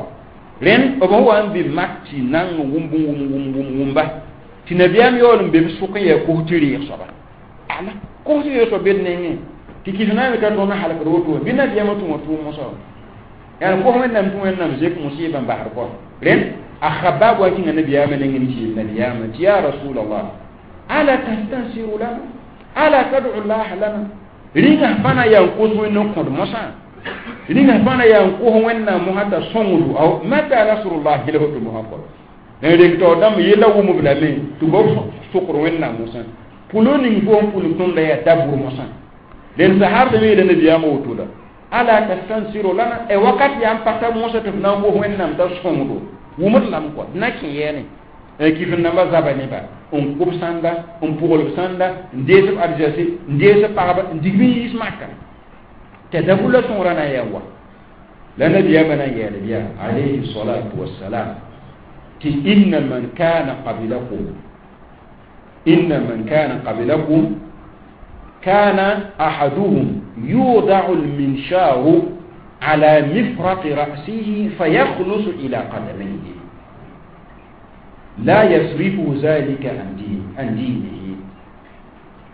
rẽnd b sẽn wa n be mak tɩ nang wʋmb wʋm wʋm wʋm wʋmba tɩ nabiyaam yaool n be b sʋk n yaa kos tɩ reeg soaba ala kos tɩ reeg soab be d nengẽ tɩ kɩf na n t'a tõnd halkd woto bɩ nabiyaamã tũ wã tʋʋm mosã Yani ko wẽnnaam tɩ wẽnnaam zek musɩɩbã n basd kɔ rẽnd a Khabbab wa kẽnga nabiyaamã nengẽ n tɩ yeel nabiyaamã tɩ ya rasulallah ala tastansiru lana ala tad'u llah lana rĩngã fãna yaa n kos wẽnd n kõd mosã rĩngã fãna yaa n kos wẽnnaam mosã t'a sõngdo ao mata nasrullah la woto mosã kɔ n reng taoor dãmb yella wʋmb lame tɩ b sokd wẽnnaam mosã pʋlo ning fo n pʋlg tõmda yaa dabʋr mosã dẽn sahabã me yeela nabiyaamã woto la ala tastansiru lana e wakat yaa n pata mosã tɩ f na n kos wẽnnaam t'a sõngdo wʋmd lame kɔ d na kẽ yɛɛne kɩf n namba zaba neba n kʋb sãnda n pʋglb sãnda n dees b arzɛse n dees b pagba n dig b n yiis maka t'a dabʋla sõgra na n yaa wa la nabiyaamã na n yɛɛl bɩa alayhi salatu wassalam tɩ inna man kana qablakum inna man kana qablakum kana ahaduhum yudau lminsharu ala mifraqi ra'sihi fayakhlusu ila qadamayhi لا يصرفه ذلك عن دين عن دينه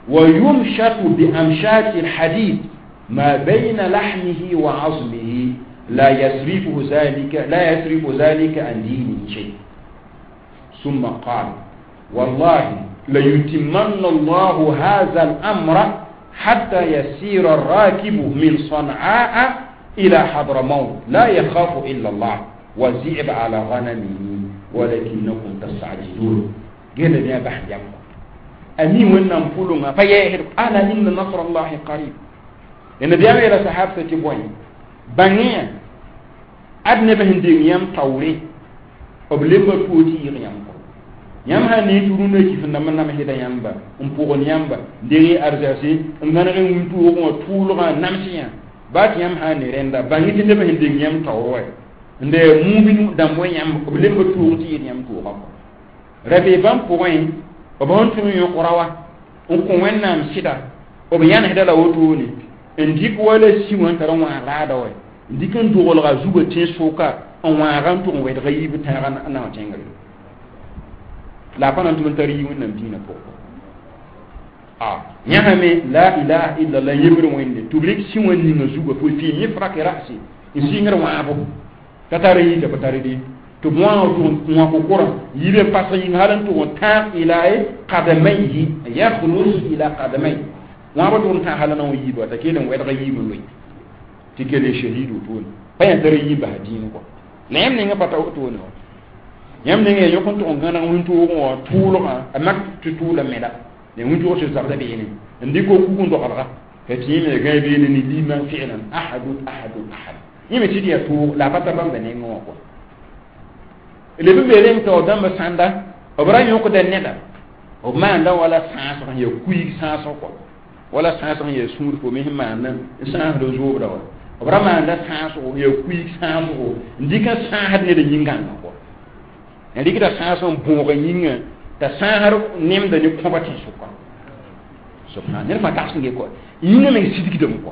ويمشط بأمشاط الحديد ما بين لحمه وعظمه لا يصرفه ذلك لا يصرف ذلك عن دينه شيء ثم قال والله ليتمن الله هذا الأمر حتى يسير الراكب من صنعاء إلى حضرموت لا يخاف إلا الله والذئب على غنمه ولكنكم تستعجلون قال يا بحث يمكم أمين وإنهم فلما فيهر ألا إن نصر الله قريب لأن بيامي إلى صحابة تبوين بانيا أدنى بهن دين يم توري وبلما توتي يمكم yãmb sã ne tɩ rũndã kɩf n dãmb namsda yãmba n pʋgd yãmba n deng arzɛse n gãneg wĩntoogẽ wã tʋʋlgã nams yã baa tɩ yãmb sã n ne rẽnda bãng tɩ nebã sẽn deng yãmb taoor wa n de mumin dãmb wa yãmb b lemba toog tɩ yel yãmb toogã kɔ ra bee bãmb pʋgẽ b sẽn tũ n yõk raowa n kõ wẽnnaam sɩda b yãnesda la wotone n dɩk wala si wã n tar n wãag raada wa n dɩk n dogelga zugã tẽn-sʋka n wãaga n tʋg n wɛdga yiib tãaga naoã tẽngre la a pa na n tʋg n tar yi wẽnnaam dĩinã pʋgẽ a yãsame la ilaha illallah yembr wẽnde tɩ b rɩk si wã ninga zugã fo fɩ mifraki rasi n sɩngr wãabo ka tar yita pa tar de tɩ b wãag tʋg n wã kokora yibe n pasg yĩng hal n tʋg n tãag ila qadamayhi yakhlus ila qadamay wãabã tʋg n tãag hal n na wã yiiba t'a kell n wɛdg yiib n loe tɩ kell shahid wotone pa yã tar yĩ bas dĩin kɔ la yãmb ninga pa ta wotone wã yãmb ninga ya yõk n tʋg n gãneg wĩntoogẽ wã tʋʋlgã a mak tɩ tʋʋla meda la wĩntoog tɩ zabda beene n dɩk o kug n dogelga t'a tɩ yẽme gã beene ne liman fi'lan ahadun ahadun ahad yẽme tɩ d yaa tʋʋg la a pa tar bãmba nengẽ wã kɔ leb n be reng taoor dãmbã sãnda b ra yõkda neda b maanda wala sãasg n yaa kuig sãasg kɔ wala sãasg n yaa sũur fo me sẽn maanda n sãasd zoobda wa b ra maanda sãasgo n yaa kuig sãasgo n dɩk n sãasd ned yĩngãngã kɔ n rɩkda sãas n bõog yĩngã t'a sãasd nemda ne kõba tẽn-sʋka subhan ned fãa tags n ge kɔ yĩngã meng sidgdame kɔ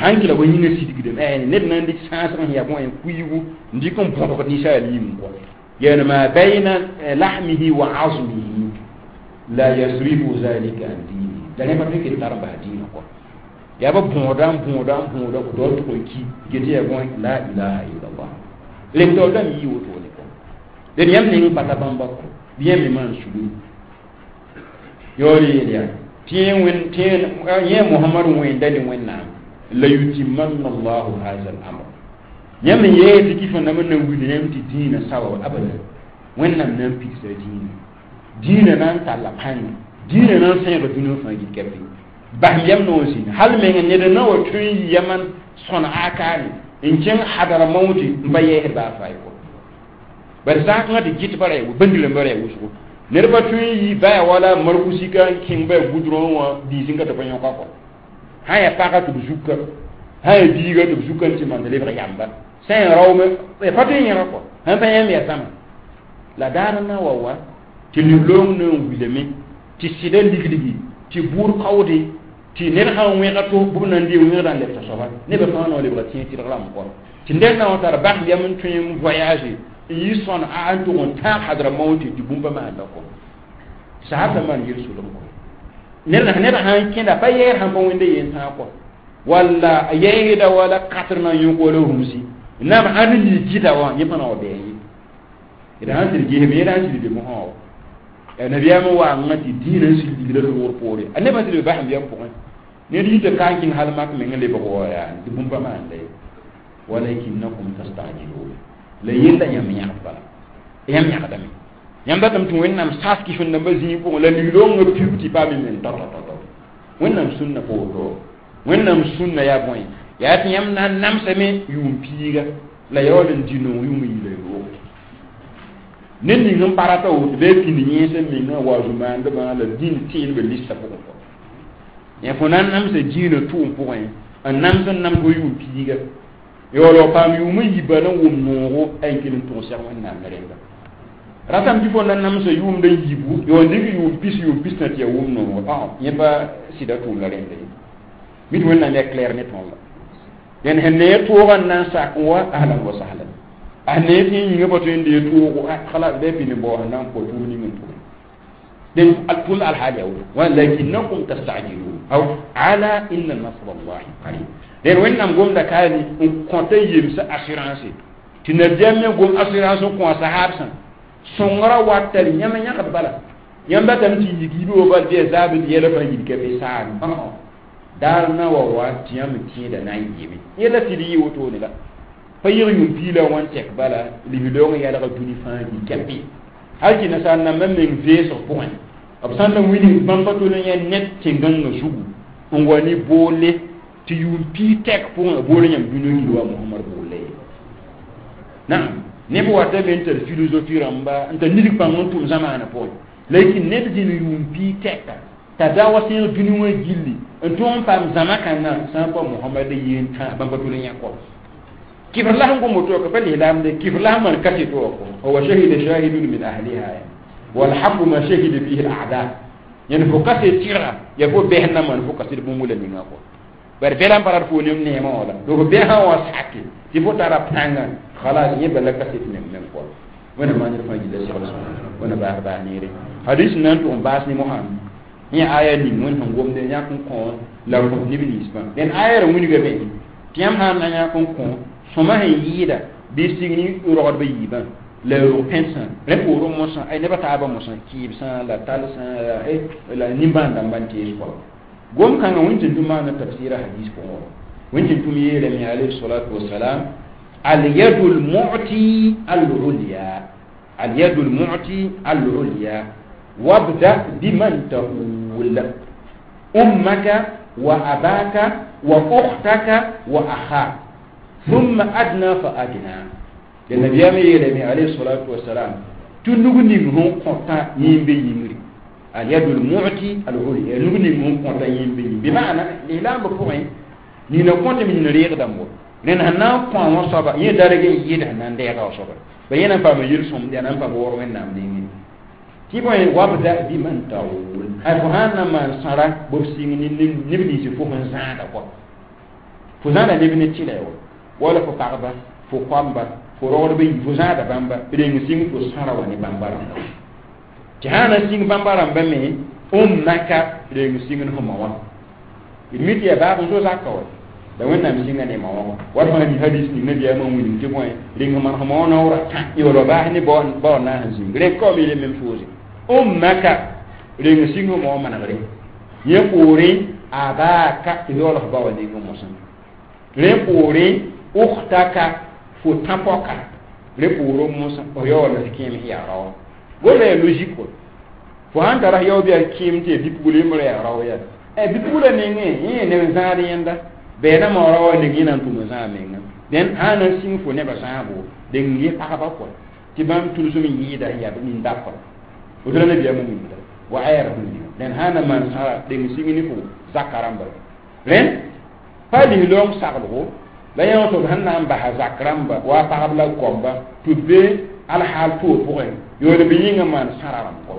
sãn kɩla wa yĩngã sidgdame ned na n dɩk sãasg sẽn yaa bõe kuiigu n dɩk n bõdgd ninsaal yĩng kɔ yaani ma bayna lahmihi wa azmihi la yasrifu zalika an dini la rẽ pa tõe kell tar n bas dĩinã kɔ yaa ba bõoda n bõoda n bõoda tɩ tʋg n ki get yaa bõe la ilaha illallah reng taoor dãmb yii wotone kɔ d yãmb ning pata bãmba kɔ bɩ yãmb me maan sugum yaool yeel yaa tɩ yẽ mohamad wẽnda ne wẽnnaam la yutimanna allahu haza al-amr yãmb n yee tɩ kɩf n dãmb n na n wilg yãmb tɩ dĩinã sawa abadan wẽnnaam na n pigsa dĩinã dĩinã na n talla pãnga dĩinã na n sẽega dũniyã fãa gil-kɛpɩ basem yam noor zĩnd hal meng ned n na wa tõe n yi yaman sõn akaane n kẽng hadara mauti n pa yɛɛsd baa faay kɔ bari zakãngã tɩ gɩt bara yaa bãndi-rãmbã ra yaa wʋsgo ned pa tõe n yi baya wala markusika n kẽng baya goudron wã diisẽ ka tɩ pa yõka kɔ sã n yaa pagã tɩ b zuka sã n yaa biiga tɩ b zuka n tɩ maan lebg yamba sã n yaa raoome pa tõe n yẽga kɔ sãn pa yãmb yaa zãma la daar n na wa wa tɩ nin-loong na n wilame tɩ sɩda ligligi tɩ bʋʋd kaoode tɩ ned sã n wẽga to bʋb na n dee wẽgda n leb t'a-soaba nebã fãa na wa lebga tẽeg tɩrg rãmb kɔ tɩ ned na wa tar basem yam n tõe n voyage n yi sõn a n tʋg n tãag hadra mauti tɩ bũmb maanda kɔ sahabã maan yel-solem kɔ ned ned sã n kẽnda pa yɛɛr sãn pa wẽnda yen tãag kɔ Walla a yɛɛgda wala katr na n yõk wala rũmsi naam ãnd n lii gɩda wã yẽ pa na wa bɩ ye d sãn sɩd gesme yẽ sãn sɩd be mosã wa nabiyaam n waangã tɩ dĩinã n sig ligla loogr poore a nebã sɩd be basẽm yam pʋgẽ ned yita ka n kẽng hal mak meng n lebg wa yaa tɩ bũmb pa maanda ye walakinnakum tastajilun la yella yãmb yãgd bala yãmb yãgdame yãmb datame tɩ wẽnnaam sas kɩf-n dãmbã zĩig pʋgẽ la liglongã piug tɩ paam men tao tao tao wẽnnaam sũnna pa woto wẽnnaam sũnna yaa bõe yaa tɩ yãmb na n namsame yʋʋm piiga la yaool n dĩ nong yʋʋm yiila yoogo ned ning n pa rata woto bɩ pĩnd yẽesã mengã wa zu-maandbã la dĩn tẽedbã listã pʋgẽ kɔ yã fo na n namsa dĩinã tʋʋm pʋgẽ n nams n nams wa yʋʋm piiga yaool wa paam yʋʋm n yiba na n wʋm noogo a n kell n tʋg sɛg wẽnnaam ne rẽnda ratame tɩ fo na namsa yʋʋmd n yibu yo n dɩk yʋʋm pis yʋʋm pis na tɩ ya wʋm noogo yẽ pa sɩda tʋʋm la rẽnda ye mit wẽnnaam yaa clair ne tõnd la dẽn sẽn ne toogã n na n sak n wa ahlan wa sahlan a ne tɩ yĩngã pa tõe n dee toogo khalas bɩ pid n bao sẽn na n kõ tʋʋm ning n tʋme dẽn tʋm alhaal yaa woto walakinnakum tastajilun aw ala inna nasr allahi qarib dẽn wẽnnaam gomda kaani n kõta yemsa assurance tɩ nabiyaam me gom assurance n kõ a sahaabsã sõngrã wat tari yãmb yãgd bala yãmb datame tɩ yik yibe wa bal bɩ ya zaab tɩ yɛla fãa yid ka be saame daar na wa wa tɩ yãmb tẽeda na n yɩɩme yɛla tɩ d yɩ wotone la pa yɩg yũm piila wã n tɛk bala lislaoong yɛlga dũni fãa yik kɛpɩ hal tɩ nasaar nambã meng veesg pʋgẽ b sã n na wilg bãmb pa tol n yã ned tẽn-gãngã zugu n wa ne boole tɩ yʋʋm piig tɛk pʋgẽ a bool yãmb dũni gil wa mohamad boolle ye naam neb watame n tar philosophie rãmba n tar nidg pãng n tʋm zamaanã pʋgẽ lakin ned zĩnd yʋʋm piig tɛka t'a da wa sẽeg dũni wã gilli n tõog n paam zãma kãngã sã n pa mohamad yeen tã bãmb pa tol n yã kɔ kibr la sẽn gom woto ka pa lislaam de kibr la sẽn maan kaset wa kɔ wa shahida shahidun min ahliha wal haqu ma shahida fihi al a'da yẽnd fo kaset tɩrga ya fo bɛsd na maan fo kaset bũmb la ninga kɔ bare bɛla n pa rat fo nem neemã wã la donc bɛsã wã sake tɩ fo tara pãnga khalas yẽ bala kaset meng meng kɔ wẽna maan ned fãa gilla segl wẽna baas baas neere hadis n na n tʋg n baas ne mosã yẽ aya ning wẽnd sẽn gomde yãk n kõ la kõ neb ninsbã dẽn aya ra wilgame tɩ yãmb sã n na yãk n kõ sõma sẽn yɩɩda bɩ sig ne rogdbã yiibã la rog pẽnsã rẽ poorẽ mosã ay nebã taabã mosã kɩɩbsã la talsã la nimbãan dãmbã n tees kɔ gom kãngã wẽn tɩ tʋm maana tafsɩra hadis pʋgẽ wã wẽn tɩ tʋm yeelame alayhi salatu wasalam اليد المعطي العليا اليد المعطي العليا وابدأ بمن تؤول أمك وأباك وأختك وأخاك ثم أدنى فأدنى النبي يلمي عليه الصلاة والسلام تنوغ نيغ كونتا يمبي يمري اليد المعطي العليا نوغ نيغ كونتا يمبي بمعنى الإعلام بفوين نينا كونتا من ريغ دامو rẽnd sẽn na n kõ wã soaba yẽ darg n yɩɩd sẽn na n deega wa soaba ba yẽ na n paama yel-sõmd yaa na n paam waoor wẽnnaam nengẽ tɩ bõe wabda biman taul a fo sãn na maan sãra b sɩng neb nins fo sẽn zãada kɔ fo zãada neb ne tɩlɛ wa wala fo pagba fo koamba fo rogdba yi fo zãada bãmba reng sɩng fo sãra wa ne bãmba rãmba tɩ sã na sĩng bãmba rãmba me ummaka reng sĩng ne fo ma wã d mi tɩ yaa baab n so zaka wa la wẽnnaam sĩnga ne ma wã wat fãa mi hadis ning nabiyaamã wilg tɩ bõe reng maan fo ma wã naoora tã yaool baas ne bao na sẽn zĩng rẽ kaoome le même chose ummaka reng sĩng fo ma wã manegre yẽ poorẽ abaka tɩ yaool f ba wa neng mosã rẽ poorẽ ukhtaka fo tã-pɔka rẽ poorẽ mosã f yaool f kẽem sẽn yaa raoã gomda yaa logique wa fo sãn tara yao bɩ a kẽem tɩ yaa bi-pugl yembrã yaa rao yaa bi-pugla nengẽ yẽ neb zãad yẽnda bɛɛna maoora wa neng yẽ na n tʋm zãag menga dẽn sã na n sĩng fo nebã zãabo deng yẽ pagba kɔ tɩ bãmb tʋlsem n yɩɩda yaa nin-dapa woto la nabiyaamã wilgda wa ayɛra sẽn dẽn sã na maan sãra deng sĩng ne fo zaka rãmba rẽnd pa lislaoong saglgo la yã tɩ b sẽn na n basa zak rãmba wa pagb la goamba tɩ b be alhaal toor pʋgẽ yool bɩ yĩngã maan sãra rãmb kɔ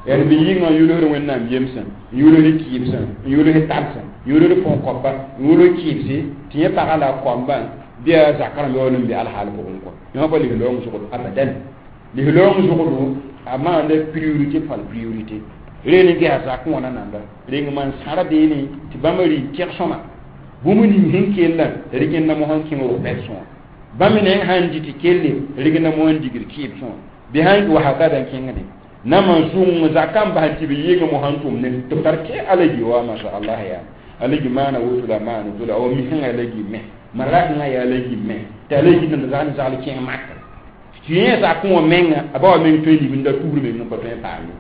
yaa bɩ yĩngã n yʋlsd wẽnnaam yemsã n yʋlsd kɩɩbsã n yʋlsd talsã n yʋlsd põn-koapa n yʋlsd kɩɩbse tɩ yẽ pagã la a koambã bɩ a zak rãmb yaool n be alhaal pʋgẽ kɔ yõ pa lislaoong zʋgd abadan lislaoong zʋgdo a maanda priorité par priorité reen n gesa zakẽ wã na nanda reng maan sãra beene tɩ bãmba rɩ tɛg sõma Bũmb ning sẽn kellã rɩgenda mosã n kẽng rʋ-pɛdsẽ wã. Bãmb me sãn dɩ tɩ kelle, rɩgenda mosã n digd kɩɩbsẽ wã. Bɩ sãn wa hakada n kẽngde na man zʋng zakã n bas tɩ b yeng mosã n tʋm ne tɩ b tar kɛ alagi wa masha Allah yaa alagi maana woto la maana woto la wa misẽngã alagi me marakẽngã yaa alagi me tɩ alagi tɩ zagl zagl kẽng maka tɩ yẽ zakẽ wã menga a ba wa meng tõe n libinda tugr meng n pa tõe n paam ye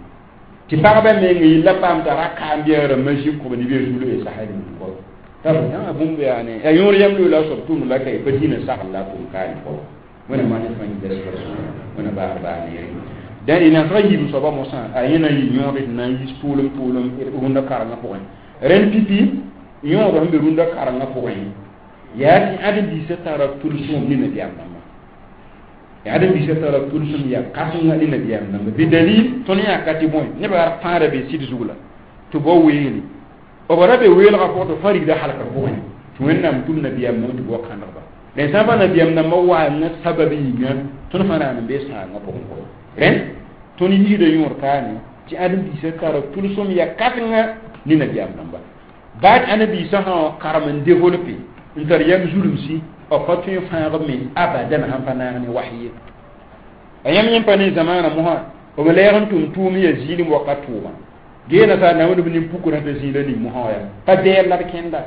tɩ pagba meng yella paam t'a ra kaam bɩ a rãmbã zĩ kʋb ne bɩ a zulu y sasa ning kɔ t'a bũmb yaane yaa yõor yam loola a soab tʋmd la ka pa dĩinã sagl la a tʋm kaane kɔ wẽna maan fãa yĩnga wẽna baar baa neere dẽn y nasga yiib soaba mosã a yẽ na n yɩ yõode tɩ na n yis tʋʋlem tʋʋlem rũndã karengã pʋgẽ rẽnd pipi yõodã sẽn be rũndã karengã pʋgẽ yaa tɩ ãdem-biisã tara tʋlsem ne nabiyaam dãmba ãdem-biisã tara tʋlsem yaa kãsenga ne nabiyaam dãmba bɩ dalil tõnd yãka tɩ bõe nebã yaa pãada be sɩd zug la tɩ bao weele b ra be weelgã pʋgẽ tɩ fãa rigda halkr pʋgẽ tɩ wẽnnaam tʋm nabiyaam nãmb tɩ bao kãndgba rẽn sã n pa nabiyaam nambã waanga sabab yĩnga tõnd fãa raan n bee sãangã pʋgẽ kɔ rẽnd tõnd yiisda yõod kaane tɩ ãdem-biisã tara tʋlsem yaa kãsenga ne nabiyaam dãmba baa tɩ ãdem-biisã sã karem n développe n tar yam zulumsi b pa tõe n fãag me abadan sãn pa naag ne was ye a yãmb yẽ pa ne zamaana mosã b lɛɛg n tʋm tʋʋm ya zĩilem wakat tʋʋma gee nasaar na wẽnd b nin-pukrã t'a zĩila ning mosã wã yaa pa bɛɛl la b kẽnda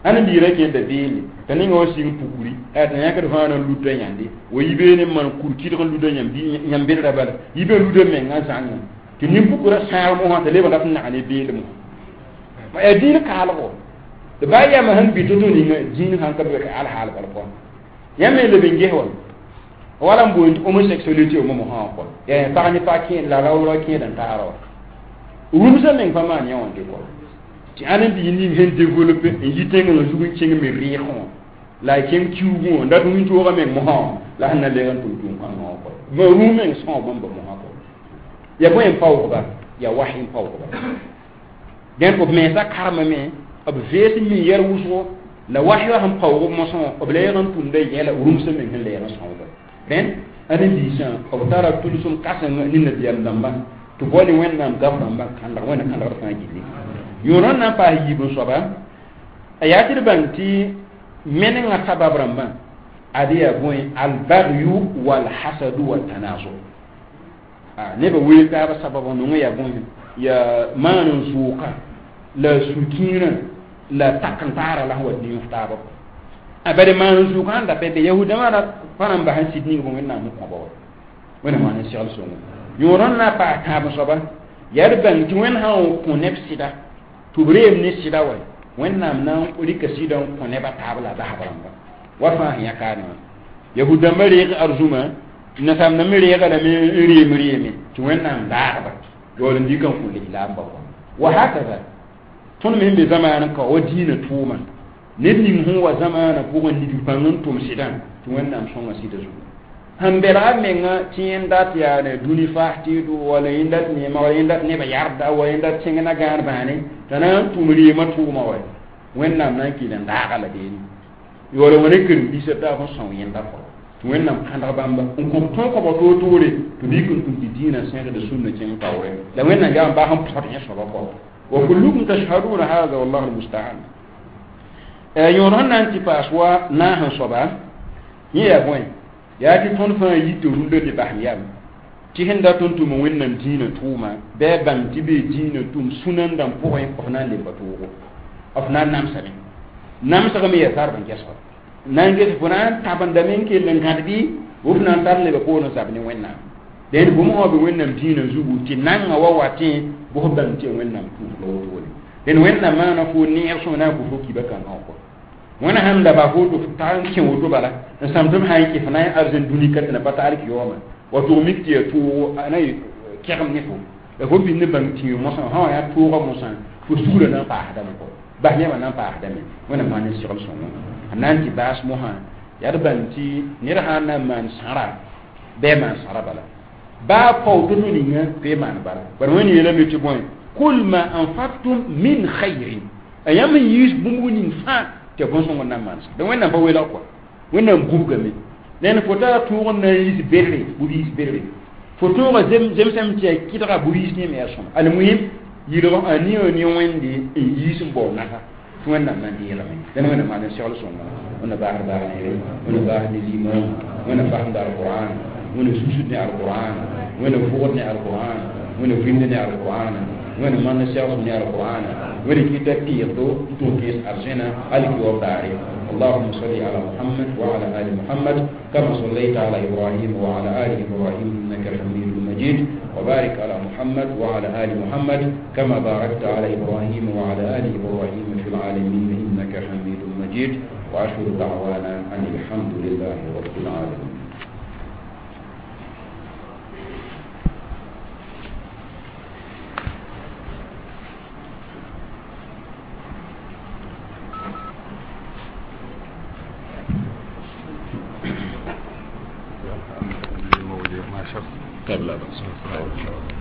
ãdem-biirã kẽnda beele t'a ninga wa sɩng pukuri t'a yãkd fãa na n luta yãnde wa yi beene n maan kur kɩdg n luda yãmb bedra bala yi be luda menga zãnga tɩ nin-pukrã sãag mosã t'a leb n rat n nag ne beelem wã yaa dĩin kaalgo tɩ baa yama sẽn bɩ to-to ninga dĩin sãn ka be ka alhaal bala pʋgã yãmb me leb n ges wa wala n boond homosexualité wã mosã wã kɔ yaa pag ne pag kẽed la raoolgã kẽed n taara wa rũmsã meng pa maan yã wã dɩ kɔ tɩ ãdem-biig ning sẽn développe n yi tẽngã zug n kẽng me rɩɩgẽ wã la a kẽng kiuugẽ wã n dat wĩntoogã meng mosã wã la sẽn na leg n tʋm tʋʋm kãngã wã kɔ rũm meng sõo bãmba mosã kɔ ya bõe n paoogba ya was n paoogba dẽnd b mensã karemame b vees n mi yɛr wʋsgo la was wã sẽn paoog mosã wã b lɛɛg n tʋmda yɛla rũmsã meng sẽn lɛɛg n sõoba rẽnd ãdem-biisã b tara tʋlsem kãseng ne nabiyaam dãmbã tɩ bao ne wẽnnaam gaf rãmbã kãndg wẽnna kãndgd fãa gilli yõod n na n paas yiib n soaba a yaa tɩ d bãng tɩ menengã sabab rãmbã ad yaa bõe albagyu walhasadu watanazu nebã weel taabã sabab nongã yaa bõe yaa maan n zʋʋka la sũ-kiirã la tak n taara la sẽn wa dĩif taabã a bari maan n zʋʋka sẽn da pa be yahudãmã ra pa na n bas n sɩd ning bõ wẽnnaam n kõba wa wẽnnaam maan n segl sõngo yõod n na n paas tãab soaba yaa d bãng tɩ wẽnd sã n kõ neb sɩda tɩ b reem ne sɩda wa wẽnnaam na n rɩka sɩdã n kõ nebã taab la basb rãmba wa fãa sẽn yã kaane wã yahud-dãmbã reeg arzũma nasaam me reega lame n reem reeme tɩ wẽnnaam daagba yaool n dɩka n kõ lislaamba kɔ wa hakaza tõnd me sẽn be zamaan n ka wa dĩinã tʋʋma ned ning sẽn wa zamaanã pʋgẽ nig pãng n tʋm sɩdã tɩ wẽnnaam sõnga sɩda zugu sẽn belga menga tɩ yẽnd dat yaane dũni faas tɩɩdo wala yẽnd dat neema wala yẽnd dat nebã yarda wala yẽnd dat tẽng na gãan bãane t'a na n tʋm reemã tʋʋma wa wẽnnaam na n kɩl n daaga la beene yaool wã ne karen-biisã taab sẽn sõng yẽnda kɔ tɩ wẽnnaam kãndg bãmba n kõ tõog kõba toor-toore tɩ bɩ n tʋm tɩ dĩinã sẽgd sũnna kẽng taoore la wẽnnaam yaa n baa sẽn pɔd yẽ soaba kɔ wa kullukum tashhaduna hada wallahu almusta'an yõod sẽn na n tɩ paas wa naas n soaba yẽ yaa bõe yaa tɩ tõnd fãa yit tɩ rũndã ne basem yam tɩ sẽn dat n tʋm wẽnnaam dĩinã tʋʋma bɩ a bãng tɩ bee dĩinã tʋm sũ-nandã pʋgẽ f na n lemba toogo f na n namsame namsgame yaa zarb n gesga na n ges fo na n tabendame n kell n gãd bɩ f na n tar lebã poor n zab ne wẽnnaam dẽnd bũmb wã be wẽnnaam dĩinã zugu tɩ nanga wa watẽ bʋs bãng tɩ ya wẽnnaam tʋʋs la wotone dẽnd wẽnnaam maana fo neeg sõma na n kʋ fo kiba kãngã wã kɔ wẽna sãn da ba fo tɩ f tag n kẽ woto bala n sãm tɩ b sã n kɩ f na n arzẽn dũni ka tɩ na pa taal kɩ yaooma wa tʋg mik tɩ yaa toogo a na kɛgem ne fo la fo bĩnd bãng tĩig mosã sã wã yaa tooga mosã fo sugrã na n paasdame kɔ bas yãmã na n paasdame wẽnnaam maan n segl sõngo a na n tɩ baas mosã yaa d bãng tɩ ned sã n na n maan sãra bɩ a maan sãra bala baa pao to-to ninga tɩ maan bala bara wẽnd yeelame tɩ bõe kul ma anfaktum min khayrin a yãmb n yiis bũmb ning fãa tɩ ya bõn-sõng n na n maan sã donc wẽnnaam pa welg kɔa wẽnnaam gubgame ned fo tara tʋʋg n na n yiis bedre bʋ yiis bedre fo tõoga zemsame tɩ yaa kɩdga bʋ yiis ne me yaa sõma almuhim yɩlg a nia ne wẽnde n yiis n bao nasa Tɩ Wẽnnaam na n deegame la ne Wẽnnaam maan n segl sõnga Wẽnna baasd baag neere Wẽnna baasd ne zĩig Wẽnna fasemda alqur'an Wẽnna susd ne alqur'an Wẽnna vʋgd ne alqur'an Wẽnna vĩmd ne alqur'an Wẽnna maan segsem ne alqur'an Wẽnna kɩta tɩɩgdo n tʋg kẽes arzẽna alkiwaoog daare. اللهم صل على محمد وعلى آل محمد كما صليت على إبراهيم وعلى آل إبراهيم إنك حميد مجيد، وبارك على محمد وعلى آل محمد كما باركت على إبراهيم وعلى آل إبراهيم في العالمين إنك حميد مجيد. وآخر دعوانا أن الحمد لله رب العالمين. طيب لا بأس.